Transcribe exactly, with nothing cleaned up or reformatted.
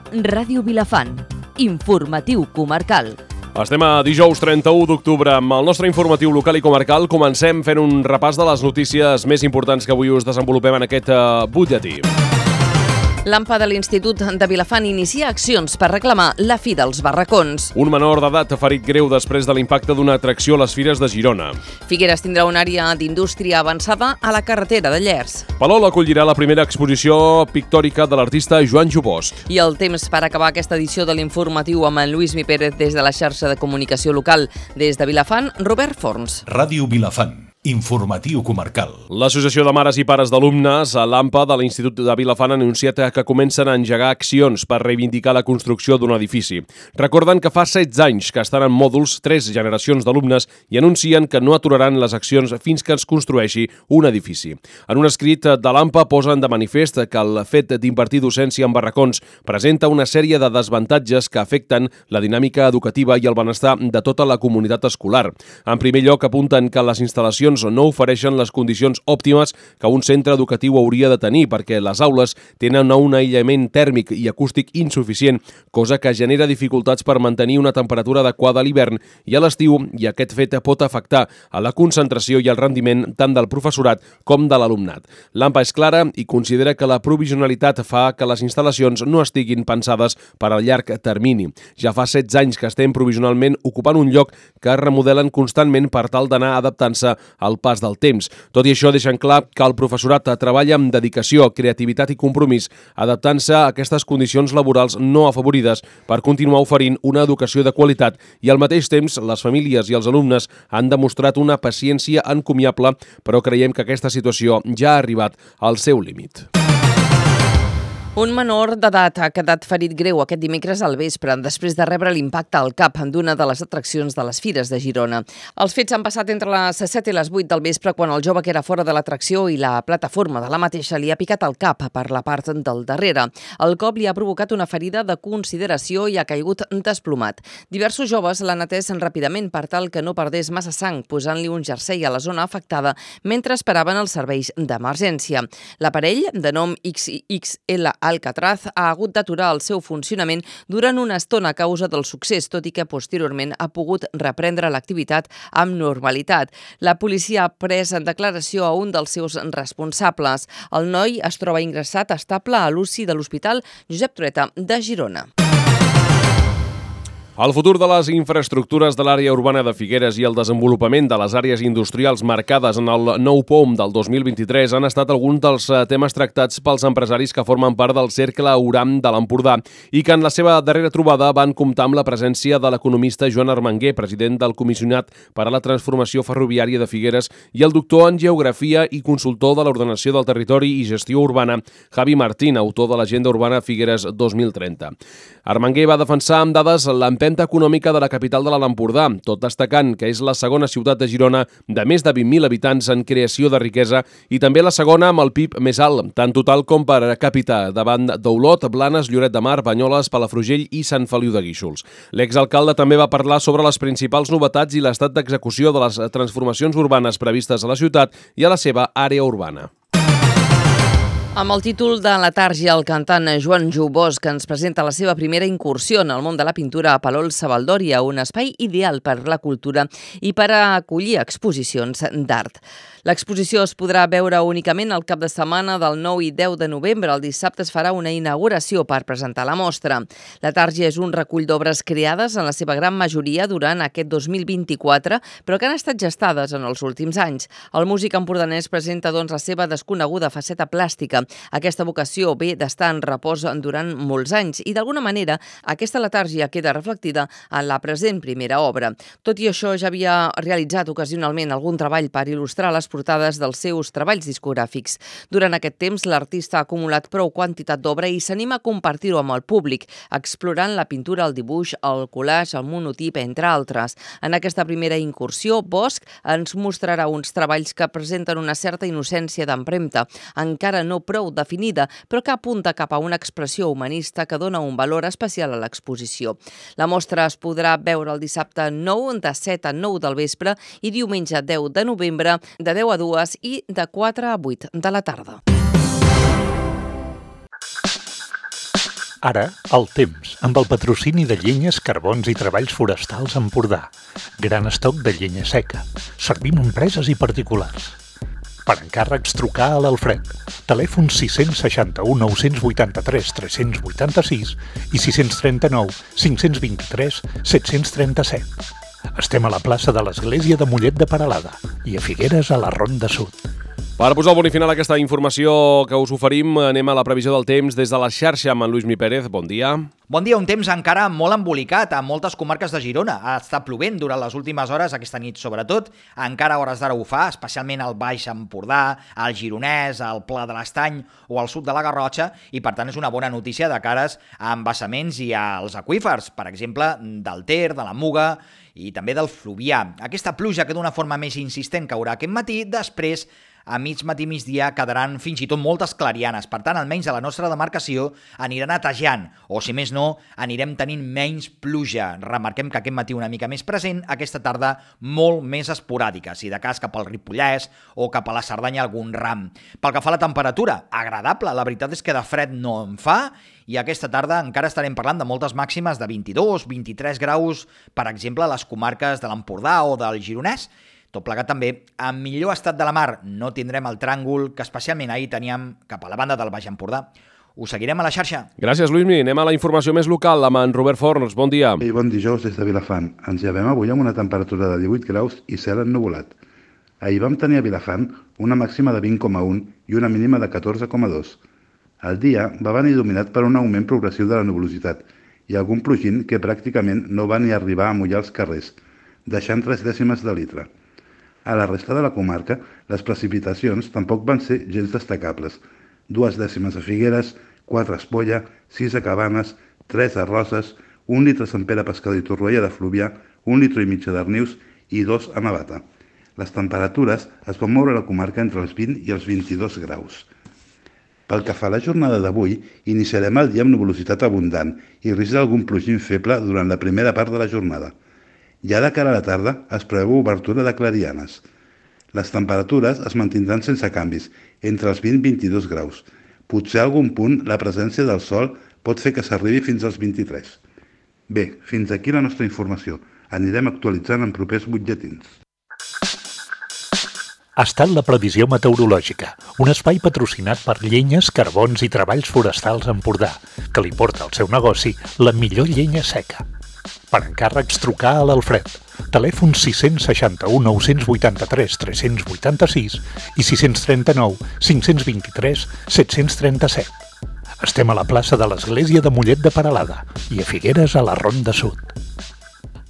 Ràdio Vilafant. Informatiu comarcal. Estem a dijous trenta-u d'octubre amb el nostre informatiu local i comarcal. Comencem fent un repàs de les notícies més importants que avui us desenvolupem en aquest butlletí. L'AMPA de l'Institut de Vilafant inicia accions per reclamar la fi dels barracons. Un menor d'edat ha ferit greu després de l'impacte d'una atracció a les fires de Girona. Figueres tindrà una àrea d'indústria avançada a la carretera de Llers. Palol acollirà la primera exposició pictòrica de l'artista Joan Jubosc. I el temps per acabar aquesta edició de l'informatiu amb en Lluís Mi Pérez des de la xarxa de comunicació local. Des de Vilafant, Robert Forns. Ràdio Vilafant. Informatiu comarcal. L'Associació de Mares i Pares d'Alumnes, l'AMPA de l'Institut de Vilafant, ha anunciat que comencen a engegar accions per reivindicar la construcció d'un edifici. Recorden que fa setze anys que estan en mòduls tres generacions d'alumnes i anuncien que no aturaran les accions fins que es construeixi un edifici. En un escrit de l'AMPA posen de manifest que el fet d'impartir docència en barracons presenta una sèrie de desavantatges que afecten la dinàmica educativa i el benestar de tota la comunitat escolar. En primer lloc, apunten que les instal·lacions no ofereixen les condicions òptimes que un centre educatiu hauria de tenir perquè les aules tenen un aïllament tèrmic i acústic insuficient, cosa que genera dificultats per mantenir una temperatura adequada a l'hivern i a l'estiu, i aquest fet pot afectar a la concentració i el rendiment tant del professorat com de l'alumnat. L'AMPA és clara i considera que la provisionalitat fa que les instal·lacions no estiguin pensades per al llarg termini. Ja fa setze anys que estem provisionalment ocupant un lloc que es remodelen constantment per tal d'anar adaptant-se al pas del temps. Tot i això, deixen clar que el professorat treballa amb dedicació, creativitat i compromís, adaptant-se a aquestes condicions laborals no afavorides per continuar oferint una educació de qualitat, i al mateix temps les famílies i els alumnes han demostrat una paciència encomiable, però creiem que aquesta situació ja ha arribat al seu límit. Un menor d'edat ha quedat ferit greu aquest dimecres al vespre després de rebre l'impacte al cap d'una de les atraccions de les Fires de Girona. Els fets han passat entre les set i les vuit del vespre quan el jove que era fora de l'atracció i la plataforma de la mateixa li ha picat al cap per la part del darrere. El cop li ha provocat una ferida de consideració i ha caigut desplomat. Diversos joves l'han atès ràpidament per tal que no perdés massa sang, posant-li un jersei a la zona afectada mentre esperaven els serveis d'emergència. L'aparell, de nom X X L Alcatraz, ha hagut d'aturar el seu funcionament durant una estona a causa del succés, tot i que posteriorment ha pogut reprendre l'activitat amb normalitat. La policia ha pres en declaració a un dels seus responsables. El noi es troba ingressat estable a l'U C I de l'Hospital Josep Trueta de Girona. El futur de les infraestructures de l'àrea urbana de Figueres i el desenvolupament de les àrees industrials marcades en el nou P O M del dos mil vint-i-tres han estat alguns dels temes tractats pels empresaris que formen part del Cercle Auram de l'Empordà i que en la seva darrera trobada van comptar amb la presència de l'economista Joan Armenguer, president del Comissionat per a la Transformació Ferroviària de Figueres, i el doctor en Geografia i consultor de l'Ordenació del Territori i Gestió Urbana, Javi Martín, autor de l'Agenda Urbana Figueres dos mil trenta. Armenguer va defensar amb dades l'empenta econòmica de la capital de l'Alt Empordà, tot destacant que és la segona ciutat de Girona de més de vint mil habitants en creació de riquesa i també la segona amb el P I B més alt, tant total com per capita, davant d'Olot, Blanes, Lloret de Mar, Banyoles, Palafrugell i Sant Feliu de Guíxols. L'exalcalde també va parlar sobre les principals novetats i l'estat d'execució de les transformacions urbanes previstes a la ciutat i a la seva àrea urbana. Amb el títol de Letàrgia, el cantant Joan Jubosc ens presenta la seva primera incursió en el món de la pintura a Palol Savaldòria, un espai ideal per la cultura i per a acollir exposicions d'art. L'exposició es podrà veure únicament el cap de setmana del nou i deu de novembre. El dissabte es farà una inauguració per presentar la mostra. Letàrgia és un recull d'obres creades en la seva gran majoria durant aquest dos mil vint-i-quatre, però que han estat gestades en els últims anys. El músic empordanès presenta doncs la seva desconeguda faceta plàstica. Aquesta vocació ve d'estar en repòs durant molts anys i d'alguna manera aquesta letàrgia queda reflectida en la present primera obra. Tot i això, ja havia realitzat ocasionalment algun treball per il·lustrar les portades dels seus treballs discogràfics. Durant aquest temps, l'artista ha acumulat prou quantitat d'obra i s'anima a compartir-ho amb el públic, explorant la pintura, el dibuix, el collage, el monotip, entre altres. En aquesta primera incursió, Bosch ens mostrarà uns treballs que presenten una certa innocència d'empremta, encara no prou definida, però que apunta cap a una expressió humanista que dona un valor especial a l'exposició. La mostra es podrà veure el dissabte nou de set a nou del vespre i diumenge deu de novembre de deu a dues i de quatre a vuit de la tarda. Ara, el temps, amb el patrocini de Llenyes, Carbons i Treballs Forestals Empordà. Gran estoc de llenya seca. Servim empreses i particulars. Per encàrrecs, trucar a l'Alfred. Telèfon sis sis u, nou vuit tres, tres vuit sis i sis tres nou, cinc dos tres, set tres set. Estem a la plaça de l'Església de Mollet de Peralada i a Figueres, a la Ronda Sud. Per posar el punt i final a aquesta informació que us oferim, anem a la previsió del temps des de la xarxa amb en Lluís Mi Pérez. Bon dia. Bon dia, un temps encara molt embolicat a moltes comarques de Girona. Ha estat plovent durant les últimes hores, aquesta nit sobretot. Encara a hores d'ara ho fa, especialment al Baix Empordà, al Gironès, al Pla de l'Estany o al sud de la Garrotxa, i per tant és una bona notícia de cares a embassaments i als aqüífers, per exemple, del Ter, de la Muga i també del Fluvià. Aquesta pluja que d'una forma més insistent caurà aquest matí, després a mig matí i migdia quedaran fins i tot moltes clarianes. Per tant, almenys a la nostra demarcació anirà netejant, o si més no, anirem tenint menys pluja. Remarquem que aquest matí una mica més present, aquesta tarda molt més esporàdica, si de cas cap al Ripollès o cap a la Cerdanya algun ram. Pel que fa a la temperatura, agradable, la veritat és que de fred no en fa, i aquesta tarda encara estarem parlant de moltes màximes de vint-i-dos a vint-i-tres graus, per exemple, a les comarques de l'Empordà o del Gironès. Tot plegat també, en millor estat de la mar no tindrem el tràngol que especialment ahir teníem cap a la banda del Baix Empordà. Us seguirem a la xarxa. Gràcies, Lluís Mi. Anem a la informació més local amb en Robert Forns. Bon dia. I bon dijous des de Vilafant. Ens llevem avui amb una temperatura de divuit graus i cel ennuvolat. Ahir vam tenir a Vilafant una màxima de vint coma un i una mínima de catorze coma dos. El dia va venir dominat per un augment progressiu de la nuvolositat i algun plogint que pràcticament no va ni arribar a mullar els carrers, deixant tres dècimes de litre. A la resta de la comarca, les precipitacions tampoc van ser gens destacables. Dues dècimes a Figueres, quatre a Espolla, sis a Cabanes, tres a Roses, un litre a Sant Pere Pescador i Torroella de Fluvià, un litre i mig a Darnius i dos a Navata. Les temperatures es van moure a la comarca entre els vint i els vint-i-dos graus. Pel que fa a la jornada d'avui, iniciarem el dia amb nuvolositat abundant i risc d'algun plogim feble durant la primera part de la jornada. Ja de cara a la tarda es preveu obertura de clarianes. Les temperatures es mantindran sense canvis, entre els vint i vint-i-dos graus. Potser a algun punt la presència del sol pot fer que s'arribi fins als vint-i-tres. Bé, fins aquí la nostra informació. Anirem actualitzant en propers butlletins. Ha estat la previsió meteorològica, un espai patrocinat per Llenyes, Carbons i Treballs Forestals Empordà, que li porta al seu negoci la millor llenya seca. Per encàrrecs, trucar a l'Alfred. Telèfon sis sis u, nou vuit tres, tres vuit sis i sis tres nou, cinc dos tres, set tres set. Estem a la plaça de l'Església de Mollet de Peralada i a Figueres, a la Ronda Sud.